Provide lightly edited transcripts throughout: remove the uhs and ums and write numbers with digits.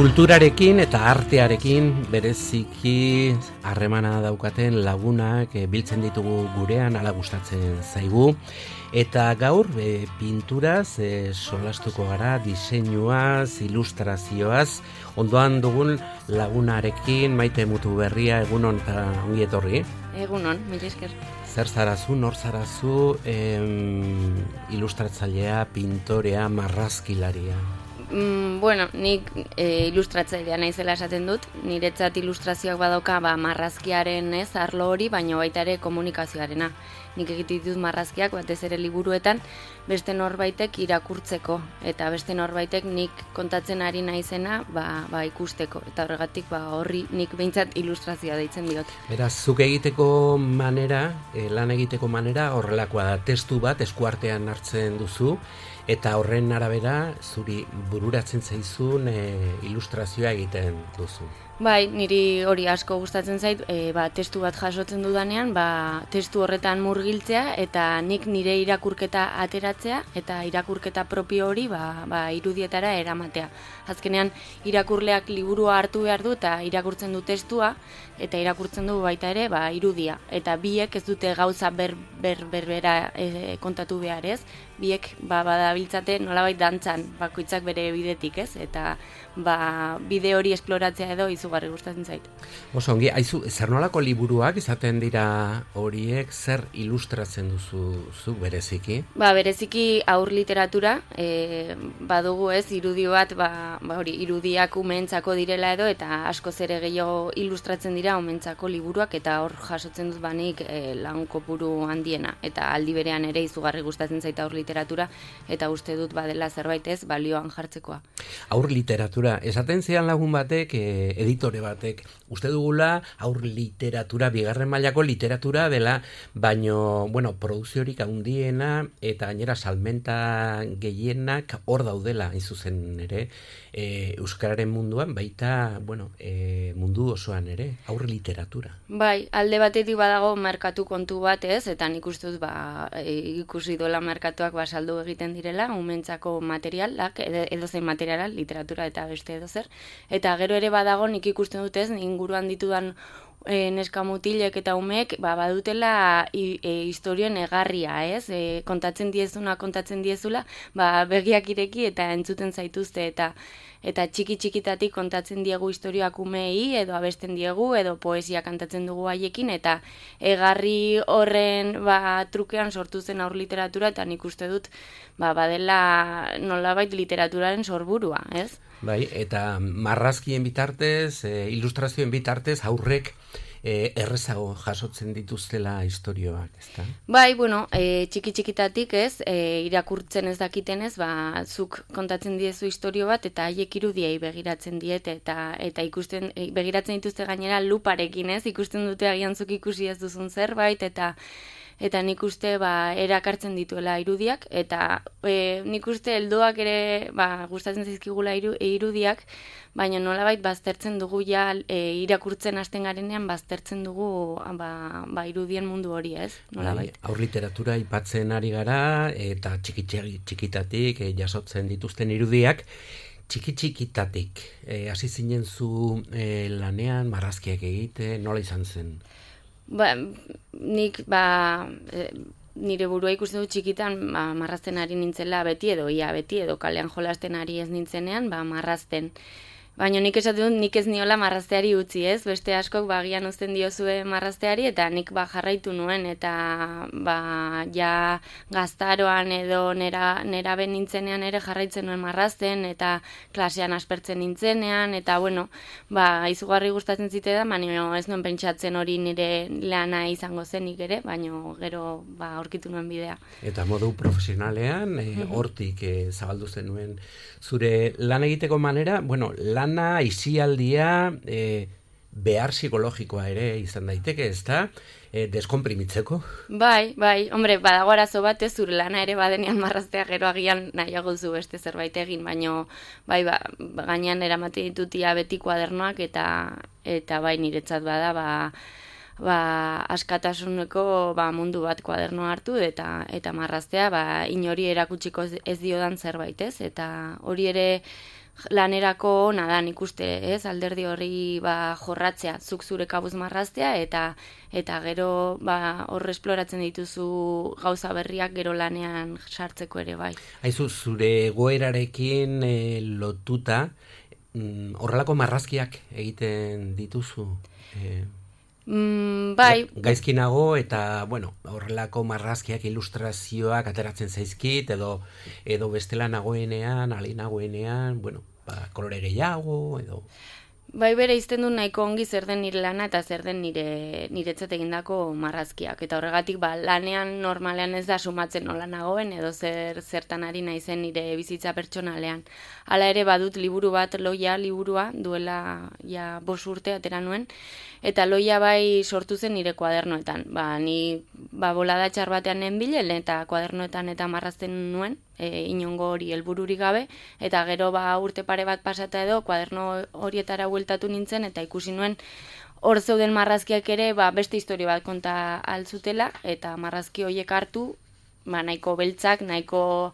Kulturarekin eta artearekin bereziki harremana daukaten lagunak biltzen ditugu gurean, hala gustatzen zaigu. Eta gaur pinturaz solastuko gara, diseinuaz, ilustrazioaz, ondoan dugun lagunarekin, Maite Mutuberria, egunon eta ongi etorri. Egunon, mila esker. Zer zarazu, nor zarazu, ilustratzailea, pintorea, marrazkilaria? Bueno, nik ilustratzailea naizela esaten dut, niretzat ilustrazioak badauka marrazkiaren arlo hori, baina baita ere komunikazioarena. Nik egiten ditut marrazkiak batez ere liburuetan beste norbaitek irakurtzeko eta beste norbaitek nik kontatzen ari naizena ikusteko eta horregatik horri nik behintzat ilustrazioa deitzen diot. Beraz, zuk egiteko manera, lan egiteko manera horrelakoa da, testu bat eskuartean hartzen duzu eta horren arabera zuri bururatzen zaizun ilustrazioa egiten duzu. Bai, niri hori asko gustatzen zait, testu bat jasotzen dudanean, testu horretan murgiltzea eta nik nire irakurketa ateratzea eta irakurketa propio hori irudietara eramatea. Azkenean irakurleak liburua hartu behar du eta irakurtzen du testua eta irakurtzen du baita ere irudia. Eta biek ez dute gauza berbera kontatu behar ez, biek badabiltzate nolabait dantzan bakoitzak bere bidetik ez, eta bide hori esploratzea edo izugarri gustatzen zait. Oso ongi, aizu, zer nolako liburuak izaten dira horiek, zer ilustratzen duzu zuk bereziki? Bereziki aur literatura, badugu ez, irudio bat, irudiak umeentzako direla edo, eta askoz ere gehiago ilustratzen dira umeentzako liburuak, eta hor jasotzen dut banik lan kopuru handiena, eta aldi berean ere izugarri gustatzen zait aur literatura, eta uste dut badela zerbait ez balioan jartzekoa. Aur literatura, esaten zidan lagun batek, editore batek, uste dugula aur literatura, bigarren mailako literatura dela, baino, produziorik handiena eta gainera salmenta gehienak hor daudela, hain zuzen ere, euskararen munduan, baita, mundu osoan ere, aur literatura. Bai, alde batetik badago merkatu kontu bat ez, eta nik uste dut ikusi dola merkatuak saldu egiten direla, umeentzako materialak, edozein materiala, literatura eta beste edozer, eta gero ere badago nik ikusten dut ez, inguruan ditudan neska mutilek eta umeek badutela historioen egarria, ez? Kontatzen diezula, begiak ireki eta entzuten zaituzte eta txiki-txikitatik kontatzen diegu historioak umeei edo abesten diegu edo poesia kantatzen dugu haiekin eta egarri horren trukean sortu zen aur literatura eta nik uste dut badela nolabait literaturaren sorburua, ez? Bai, eta marrazkien bitartez, ilustrazioen bitartez, aurrek errezago jasotzen dituztela istorioak, ezta? Bai, txiki-txikitatik ez, irakurtzen ez dakitenez, zuk kontatzen diezu istorio bat, eta haiek irudiei begiratzen diete, eta ikusten, begiratzen dituzte gainera luparekin ez, ikusten dute agian zuk ikusi ez duzun zerbait, eta nik uste erakartzen dituela irudiak, eta nik uste helduak ere gustatzen zaizkigula irudiak, baina nolabait baztertzen dugu irakurtzen hasten garenean baztertzen dugu irudien mundu hori, ez? Nolabait. Aur literatura aipatzen ari gara, eta txikitatik jasotzen dituzten irudiak, txikitatik hasi zinen zu lanean, marrazkiak egite, nola izan zen? Nik nire burua ikusten dut txikitan marrazten ari nintzela beti edo kalean jolasten ari ez nintzenean marrazten. Baina nik esaten dut, nik ez niola marrazteari utzi ez, beste askok bagian uzten diozue marrazteari eta nik jarraitu nuen eta ja gaztaroan edo nerabe nintzenean ere jarraitzen nuen marrazten eta klasean aspertzen nintzenean eta izugarri gustatzen zitedan, baina ez nuen pentsatzen hori nire lana izango zenik ere, baina gero aurkitu nuen bidea. Eta modu profesionalean, hortik zabaldu zenuen zure lan egiteko manera, lana, isialdia, behar psikologikoa ere izan daiteke, ez da? Deskonprimitzeko? Bai, hombre, badago arazo bat ez zure lana ere badenean marraztea gero agian nahiago zu beste zerbait egin, baino gainean eramate ditutia beti kuadernoak eta niretzat bada askatasuneko mundu bat kuadernoa hartu eta marraztea inori erakutsiko ez diodan zerbait, ez? Eta hori ere lanerako ona da nik uste, ez? Alderdi horri jorratzea, zuk zure kabuz marraztea eta gero hor esploratzen dituzu gauza berriak gero lanean sartzeko ere bai. Aizu, zure egoerarekin lotuta horrelako marrazkiak egiten dituzu? Bai. Gaizkinago eta, horrelako marrazkiak, ilustrazioak ateratzen zaizkit, edo bestela nagoenean, ali nagoenean, kolore gehiago, edo... Bai, bere izten du nahiko ongi zer den nire lana eta zer den niretzat egindako marrazkiak. Eta horregatik, lanean normalean ez da sumatzen nola nagoen, edo zertan ari naizen nire bizitza pertsonalean. Hala ere badut liburu bat, Loia liburua, duela 5 urte atera nuen, eta Loia bai sortu zen nire kuadernoetan. Ni bolada txar batean nenbilen eta kuadernoetan eta marrazten nuen, inongo hori helbururik gabe, eta gero urte pare bat pasata edo kuaderno horietara bueltatu nintzen, eta ikusi nuen hor zeuden marrazkiak ere beste historia bat konta altzutela, eta marrazki horiek hartu, nahiko beltzak, nahiko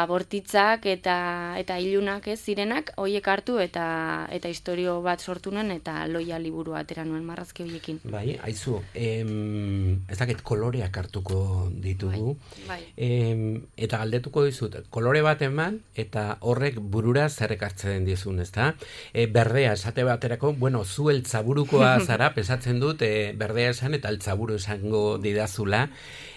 bortitzak eta ilunak ez zirenak, horiek hartu eta historio bat sortu nuen, eta Loia liburu atera nuen marrazki horiekin. Bai, aizu, ez dakit koloreak hartuko ditugu, eta galdetuko dizut, kolore bat eman, eta horrek burura zer ekartzen dizun, ezta? Berdea, esate baterako, zu eltzaburukoa zara, pesatzen dut, berdea esan eta eltzaburu esango didazula,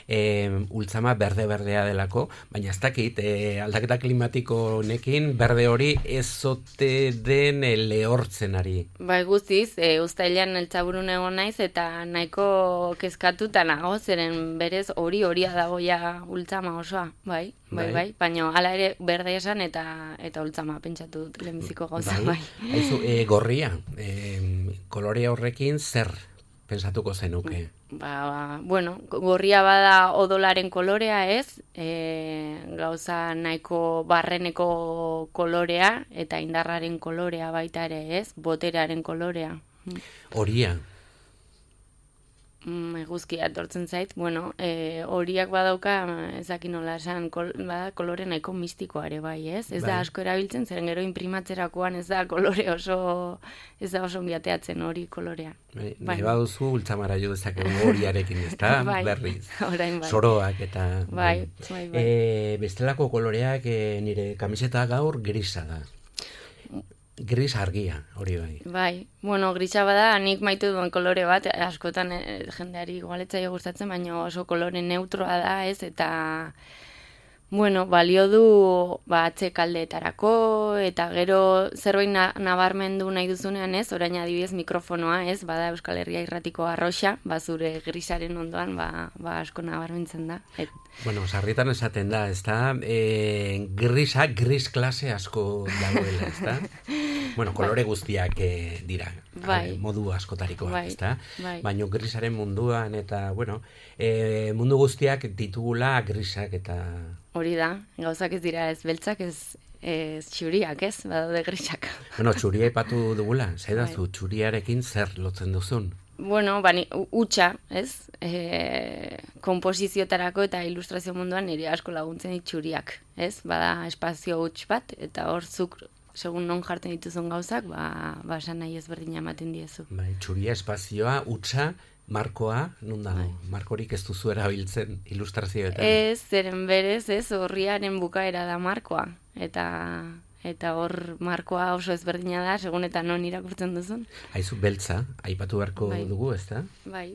ultzama berdea delako, baina ez dakit, aldaketa klimatiko honekin, berde hori ezote den lehortzen ari. Bai, guztiz, uztailean eltzaburun egon naiz, eta nahiko kezkatuta nago, zeren berez horia dagoia ultzama osoa, bai, baina hala ere berde esan eta ultzama pentsatu dut lehenbiziko gauza, bai. Haizu, gorria, kolore horrekin zer pensatuko zenuke? Gorria bada odolaren kolorea ez, gauza nahiko barreneko kolorea eta indarraren kolorea baita ere ez, boterearen kolorea. Horia? Eguzkia etortzen zait, horiak badauka, ezakin nola esan, kolore nahiko mistikoa ere bai, ez? Ez da asko erabiltzen, zeren gero imprimatzerakoan ez da kolore ez da oso biateatzen hori kolorea. Nahi baduzu ultzamara jo dezakegu horiarekin, ez da? Berriz. Soroak eta... Bai. Bestelako koloreak nire kamiseta gaur grisa da. Gris argia, hori bai. Bai, grisa bada, nik maitu duen kolore bat, askotan jendeari igualetzaio gustatzen, baina oso kolore neutroa da, ez, eta, balio du atzekaldeetarako, eta gero zerbait nabarmendu nahi duzunean, ez, orain adibidez mikrofonoa, ez, bada Euskal Herria Irratiko arroxa, zure grisaren ondoan, asko nabarmentzen da. Sarritan esaten da, ez da, gris klase asko dagoela, ez da? Kolore guztiak dira, modu askotarikoak, ez da? Baina grisaren munduan, eta, mundu guztiak ditugula grisak eta... Hori da, gauzak ez dira ez beltzak, ez txuriak, ez? Badaude grisak. Txuria ipatu dugula, zaidazu, txuriarekin zer lotzen duzun? Utxa, ez? Komposiziotarako eta ilustrazio munduan nire asko laguntzen txuriak, ez? Bada espazio huts bat, eta hor zuk, segun non jartzen dituzun gauzak, esan nahi ezberdina ematen diezu. Txuria, espazioa, utxa, markoa, nun dago? Markorik ez duzu erabiltzen ilustrazioetan? Ez, zeren berez, ez, horriaren bukaera da markoa, eta hor markoa oso ezberdina da, segun eta non irakurtzen duzun. Haizu, beltza, aipatu beharko dugu, ez da? Bai.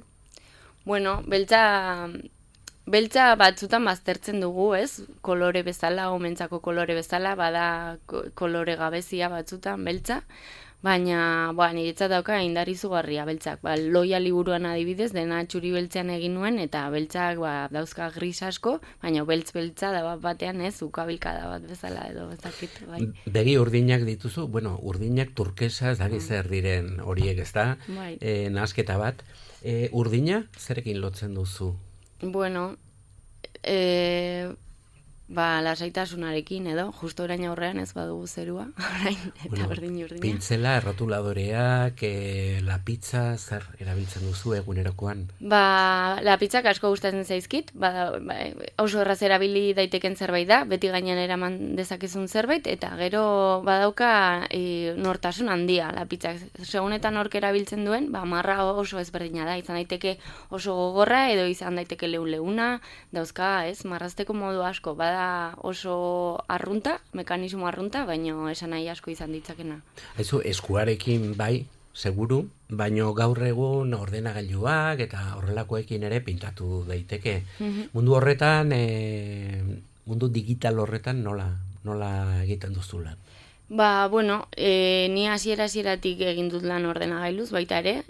Beltza batzutan baztertzen dugu, ez? Kolore bezala, omentzako kolore bezala, bada kolore gabezia batzutan beltza, baina niretzat dauka indar izugarria beltzak. Loia liburuan adibidez, dena txuri beltzean egin nuen, eta beltzak dauzka gris asko, baina beltza da batean ez, ukabilkada bat bezala edo bezakit. Begi urdinak dituzu, urdinak turkesa, ez daki zer diren horiek, ez da? Nahasketa bat. Urdina, zerekin lotzen duzu? Lasaitasunarekin edo, justo orain aurrean ez badugu zerua, orain, eta urdina. Pintzela, errotuladoreak, lapitza, zer erabiltzen duzu egunerokoan? Lapitzak asko gustatzen zaizkit, oso erraz erabili daiteken zerbait da, beti gainean eraman dezakezun zerbait, eta gero badauka nortasun handia lapitzak. Segunetan nork erabiltzen duen, marra oso ezberdina da, izan daiteke oso gogorra, edo izan daiteke leuna, dauzka, marrazteko modu asko, bada oso arrunta, mekanismo arrunta, baino esan nahi asko izan ditzakena. Haizu, eskuarekin bai, seguru, baino gaur egun ordenagailuak eta horrelakoekin ere pintatu daiteke. Mundu horretan, mundu digital horretan nola egiten duzula? Ni hasieratik egin dut lan ordenagailuz baita ere,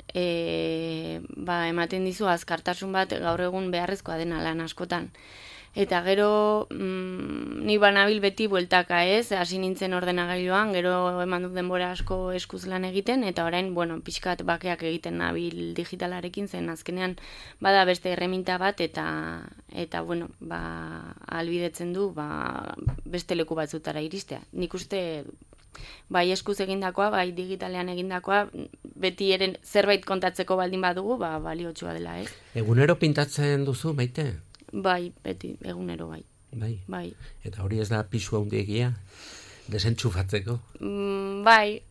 ematen dizu azkartasun bat gaur egun beharrezkoa dena lan askotan. Eta gero ni banabil beti bueltaka hasi nintzen ordenagailuan, gero eman dut denbora asko eskuz lan egiten, eta orain, pixkat bakeak egiten nabil digitalarekin zen, azkenean bada beste erreminta bat, eta albidetzen du beste leku batzutara iristea. Nik uste bai eskuz egindakoa, bai digitalean egindakoa, beti eren zerbait kontatzeko baldin badugu, baliotsua dela, Egunero pintatzen duzu, Maite? Bai, beti, egunero bai. Bai. Eta hori ez da pisu handiegia? Desentxufatzeko? Bai,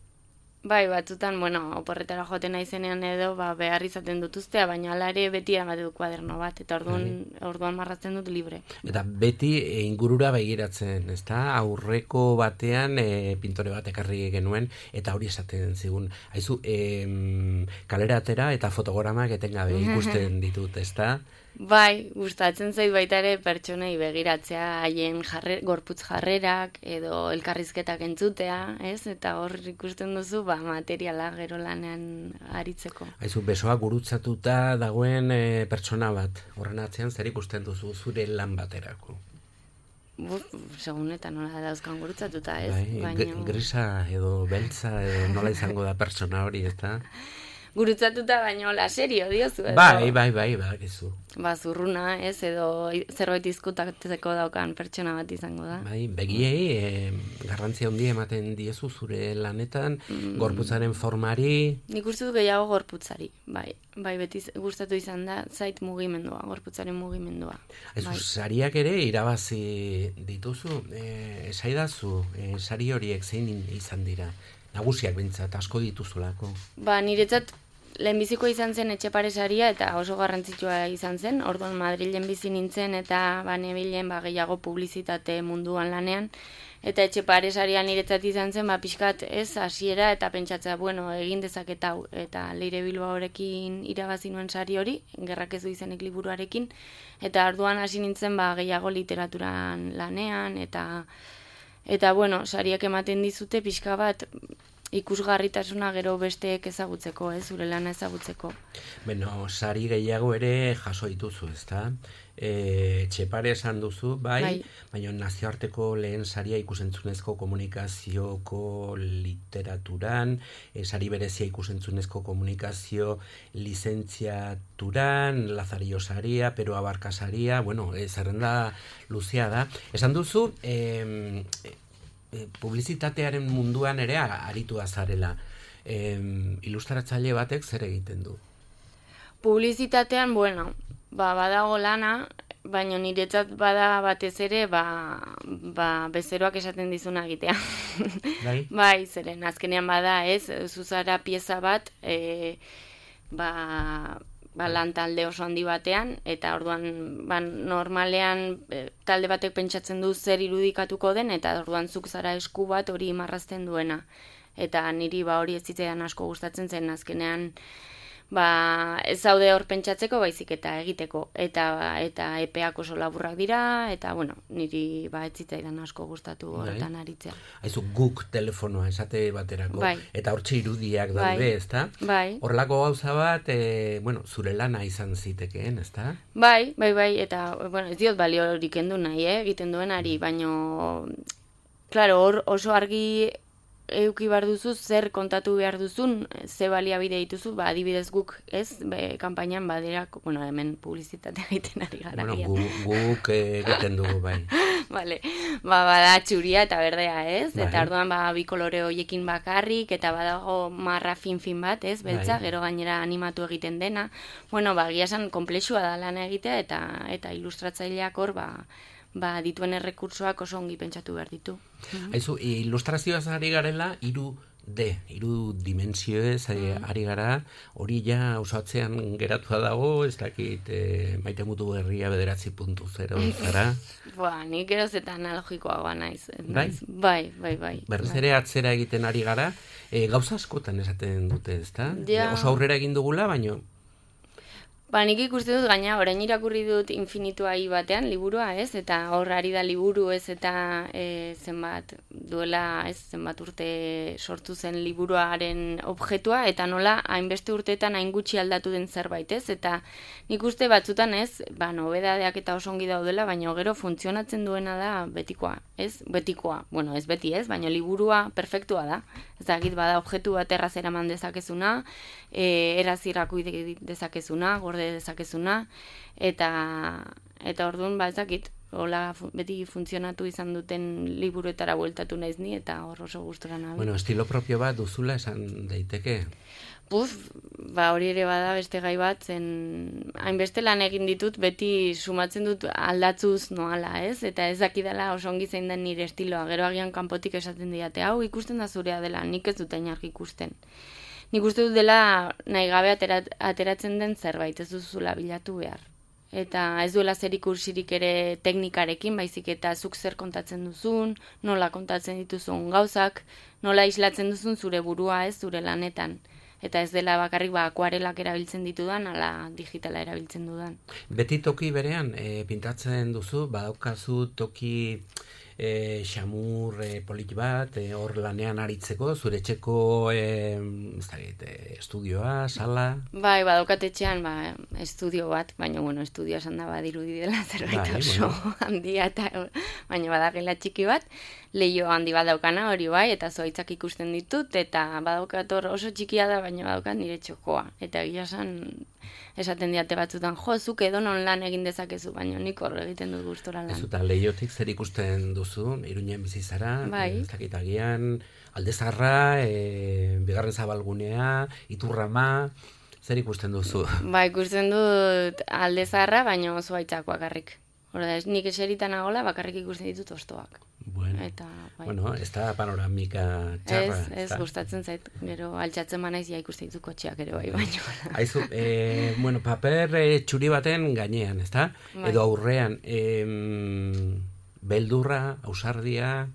batzutan, oporretara joaten naizenean edo, behar izaten dut ustea, baina ala ere beti eramate dut kuaderno bat, eta orduan marrazten dut libre. Eta beti ingurura begiratzen, ezta? Aurreko batean pintore bat ekarri genuen, eta hori esaten zigun. Haizu, kalera atera eta fotogramak etengabe ikusten ditut, ezta? Bai, gustatzen zait baita ere pertsonei begiratzea, haien gorputz jarrerak edo elkarrizketak entzutea, eta hor ikusten duzu materiala gero lanean aritzeko. Haizu, besoa gurutzatuta dagoen pertsona bat, horren atzean zer ikusten duzu zure lan baterako? Segun eta nola dauzkan gurutzatuta, baina... Grisa edo beltza edo nola izango da pertsona hori, ezta? Gurutzatuta baino la serio diozu edo. Bai, gizu. Zurruna, edo zerbait izkutatzeko daukan pertsona bat izango da. Bai, begiei garrantzia handia ematen diezu zure lanetan, gorputzaren formari. Nik uste dut gehiago gorputzari, bai, beti gustatu izan da zait mugimendua, gorputzaren mugimendua. Sariak ere irabazi dituzu, esaidazu, sari horiek zein izan dira? Nagusiak bintzat, asko dituzulako. Niretzat lehenbiziko izan zen Etxepare saria eta oso garrantzitsua izan zen. Orduan Madrilen bizi nintzen eta nebilen gehiago publizitate munduan lanean. Eta Etxepare saria niretzat izan zen, pixkat hasiera eta pentsatzea, egin dezaket hau. Eta Leire Bilbaorekin irabazi nuen sari hori, Gerrak ez du izenik liburuarekin. Eta orduan hasi nintzen gehiago literaturan lanean eta sariak ematen dizute pixka bat ikusgarritasuna gero besteek ezagutzeko, zure lana ezagutzeko. Sari gehiago ere jaso dituzu, ezta? Etxepare esan duzu, bai, baina nazioarteko lehen saria ikusentzunezko komunikazioko literaturan, sari berezia ikusentzunezko komunikazio lizentziaturan, Lazarillo saria, Pero Abarka saria, zerrenda luzea da. Esan duzu, publizitatearen munduan ere aritu azarela. Ilustratzaile batek zer egiten du? Publizitatean, badago lana, baina niretzat bada batez ere, bezeroak esaten dizuna egitea. Bai, zeren, azkenean bada, zuzara pieza bat, lan talde oso handi batean, eta orduan normalean talde batek pentsatzen du zer irudikatuko den, eta orduan zuk zara esku bat hori marrazten duena. Eta niri hori ez zitzaidan asko gustatzen zen, azkenean ez zaude hor pentsatzeko baizik eta egiteko, eta epeak oso laburrak dira, eta niri ez zitzaidan asko gustatu horretan aritzea. Haizu guk telefonoa esate baterako, eta hortxe irudiak daude, ezta? Horrelako gauza bat, zure lana izan zitekeen, ezta? Bai, eta ez diot balio hori kendu nahi, egiten duenari, baino, klaro, oso argi euki behar duzu, zer kontatu behar duzun, ze baliabide dituzu, adibidez guk, kanpainan badera, hemen publizitatea egiten ari gara. Guk egiten dugu, bai. Vale. Bada txuria eta berdea, ez? Bai. Eta orduan bi kolore hoiekin bakarrik, eta badago marra fin bat, ez? Beltza, Bai. gero gainera animatu egiten dena. Bueno, egia esan konplexua da lana egitea, eta ilustratzaileak hor, dituen errekursoak oso ongi pentsatu behar ditu. Aizu, ilustrazioaz ari garela, hiru dimensioez ari gara, hori ja osatzean geratua dago, ez dakit Maite Mutu Berria 9.0 zara. Nik eroz eta analogikoagoa naiz. Bai? Bai. Berriz ere atzera egiten ari gara, gauza askotan esaten dute, ezta? Ja. Oso aurrera egin dugula, baino... Nik ikuste dut gaina, orain irakurri dut Infinitua batean, liburua, ez? Eta hor ari da liburu, ez? Eta zenbat urte sortu zen liburuaren objektua, eta nola hainbeste urteetan hain gutxi aldatu den zerbait, ez? Eta nik uste batzutan, ez? Nobedadeak eta oso ongi daudela, baina gero funtzionatzen duena da betikoa, ez? Betikoa, bueno, ez beti, ez? Baina liburua perfektua da. Ez dakit, bada objektu bat erraz eraman dezakezuna, eraz irakurri dezakezuna, gorde dezakezuna, eta orduan, ez dakit, hola beti funtzionatu izan duten liburuetara bueltatu naiz ni, eta hor oso gustura nabil. Bueno, estilo propio bat duzula esan daiteke. Hori ere bada beste gai bat, zen hainbeste lan egin ditut, beti sumatzen dut aldatzuz noala, ez? Eta ez dakidala oso ongi zein den nire estiloa, gero agian kanpotik esaten diate, hau ikusten da zurea dela, nik ez dut ainarki ikusten. Nik uste dut dela nahi gabe ateratzen den zerbait, ez duzula bilatu behar. Eta ez duela zer ikusirik ere teknikarekin, baizik eta zuk zer kontatzen duzun, nola kontatzen dituzun gauzak, nola islatzen duzun zure burua, ez, zure lanetan. Eta ez dela bakarrik akuarelak erabiltzen ditudan, ala digitala erabiltzen dudan. Beti toki berean, pintatzen duzu, badaukazu toki xamur polit bat, hor lanean aritzeko, zure etxeko estudioa, sala? Bai, badaukat etxean estudio bat, baina estudioa esan da badirudi dela zerbait oso handia, baina badagela txiki bat, lehio handi bat daukana hori bai, eta zoitzak ikusten ditut, eta badaukat hor oso txikia da, baina badaukat nire txokoa. Eta egia esaten diate batzutan, zuk edonon lan egin dezakezu, baina nik hor egiten dut gustora lan. Ez eta lehiotik zer ikusten duzu, Iruñean bizi zara, ez dakit agian, Aldezarra, Bigarren Zabalgunea, Iturrama, zer ikusten duzu? Ikusten dut Aldezarra, baina oso aitzak bakarrik. Nik eseritan agola bakarrik ikusten ditut ostoak. Bueno, ez da panoramika txarra. Ez gustatzen zait, gero altxatzen manaiz ikusten ditut kotxeak ere bai baino. Aizu, paper txuri baten gainean, ez da? Edo aurrean, beldurra, ausardia,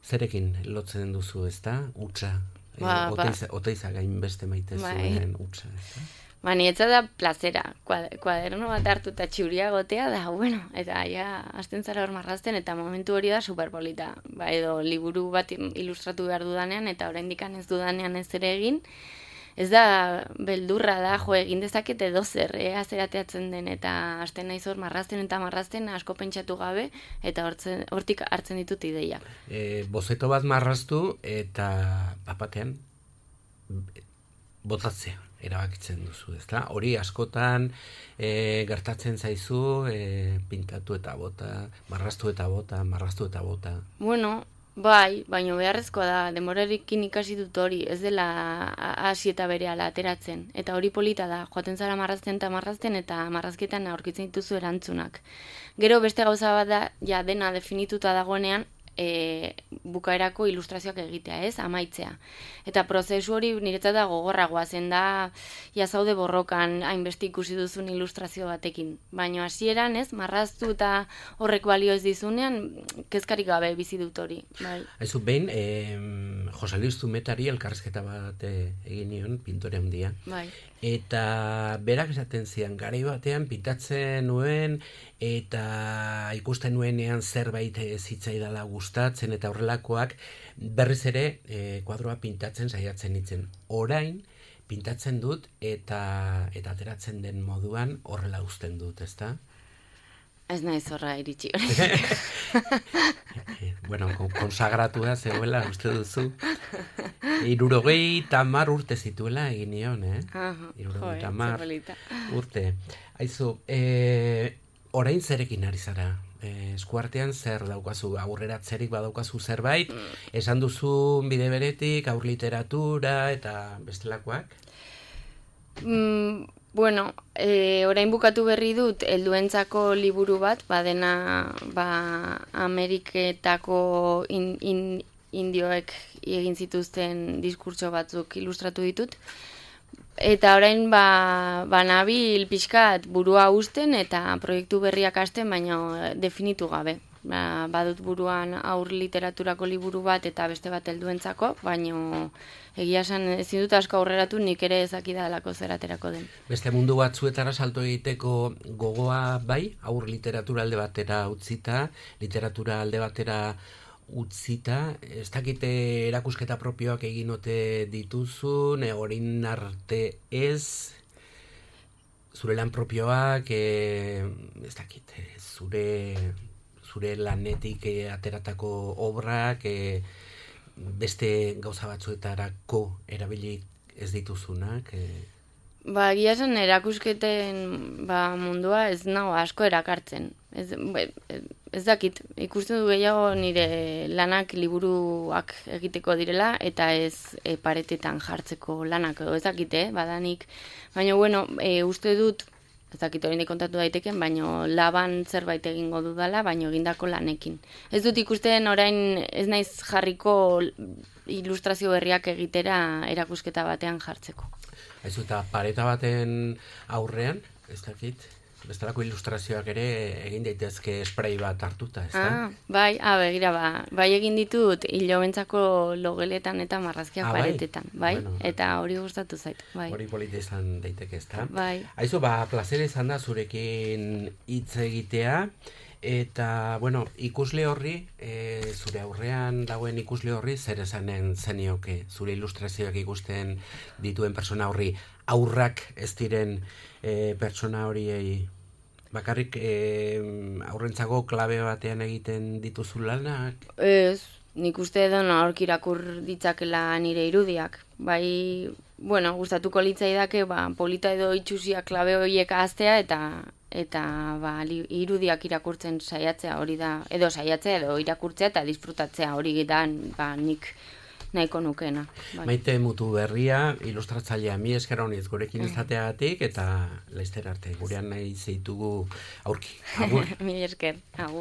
zerekin lotzen duzu, ez da? Utsa, oteiza gain beste maite zuen utsa, ez da? Nietza da plazera, kuaderno bat hartu eta txuria gotea da, eta hasten zara hor marrazten, eta momentu hori da superpolita. Edo liburu bat ilustratu behar dudanean, eta oraindikan ez dudanean ez ere egin, ez da beldurra da, egin dezaket edo zer, azerateatzen den, eta hasten naiz hor marrazten asko pentsatu gabe, eta hortik hartzen ditut ideiak. Bozeto bat marraztu, eta papatean botatzea erabakitzen duzu, ezta? Hori askotan gertatzen zaizu, pintatu eta bota, marraztu eta bota. Bai, baina beharrezkoa da, demorarekin ikasi dut hori, ez dela hasi eta berehala ateratzen. Eta hori polita da, joaten zara marrazten eta marrazketan aurkitzen dituzu erantzunak. Gero beste gauza bat da, ja dena definituta dagoenean, bukaerako ilustrazioak egitea, ez, amaitzea. Eta prozesu hori niretzat da gogorragoa, zen da, zaude borrokan hainbeste ikusi duzun ilustrazio batekin. Baina hasieran, ez, marraztu eta horrek balio ez dizunean, kezkarik gabe bizi dut hori. Aizu, behin, Jose Luis Zumetari elkarrizketa bat egin nion, pintore handia. Eta berak esaten zian, garai batean pintatzen nuen, eta ikusten nuenean zerbait zitzaidala gustatzen, eta horrelakoak berriz ere kuadroa pintatzen saiatzen nintzen. Orain, pintatzen dut, eta ateratzen den moduan horrela uzten dut, ezta? Ez naiz horra iritsi hori. Konsagratua zegoela, uste duzu. 70 urte zituela egin nion, 70 urte. Aizu, Orain zerekin ari zara? Eskuartean zer daukazu, aurreratzerik badaukazu zerbait, esan duzu bide beretik, aur literatura eta bestelakoak? Bueno, orain bukatu berri dut helduentzako liburu bat, badena Ameriketako indioek egin zituzten diskurtso batzuk ilustratu ditut. Eta orain nabil pixkat burua usten eta proiektu berriak hasten, baina definitu gabe. Badut buruan aur literaturako liburu bat eta beste bat helduentzako, baina egia esan ezin dut asko aurreratu, nik ere ezakidalako zer aterako den. Beste mundu batzuetara salto egiteko gogoa bai, aur literatura alde batera utzita, literatura alde batera utzita, ez dakite erakusketa propioak egin ote dituzun, orain arte ez, zure lan propioak, ez dakite, zure lanetik ateratako obrak, beste gauza batzuetarako erabili ez dituzunak. Egia esan erakusketen mundua ez nago asko erakartzen. Ez dakit, ikusten du gehiago nire lanak liburuak egiteko direla eta ez paretetan jartzeko lanak edo ez dakite, badanik. Baina, bueno, uste dut, ez dakit hori kontatu daiteken, baina laban zerbait egingo dudala, baina egindako lanekin. Ez dut ikusten orain ez naiz jarriko ilustrazio berriak egitera erakusketa batean jartzeko. Aizu, eta pareta baten aurrean, ez dakit, bestelako ilustrazioak ere egin daitezke spray bat hartuta, ez da? Begira, bai egin ditut hilobentzako logeletan eta marrazkiak paretetan, bai? Bueno, eta hori gustatu zait, bai. Hori polita izan daiteke, ez da? Bai. Aizu, plazer izan da zurekin hitz egitea, eta, bueno, ikusle horri, zure aurrean dagoen ikusle horri, zer esanen zenioke, zure ilustrazioak ikusten dituen persona horri, aurrak ez diren pertsona horiei, bakarrik aurrentzako klabe batean egiten dituzu lanak? Ez, nik uste edo aurk irakur ditzakela nire irudiak. Bai, bueno, gustatuko litzaidake, polita edo itxusia klabe horiek ahaztea eta irudiak irakurtzen saiatzea hori da, edo saiatzea edo irakurtzea eta disfrutatzea hori da nik nahiko nukeena. Bai. Maite Mutuberria, ilustratzailea, mi esker honiz gurekin izateagatik eta laizter arte, gurean nahi zeitugu aurki. Agur. Mi esker, agur.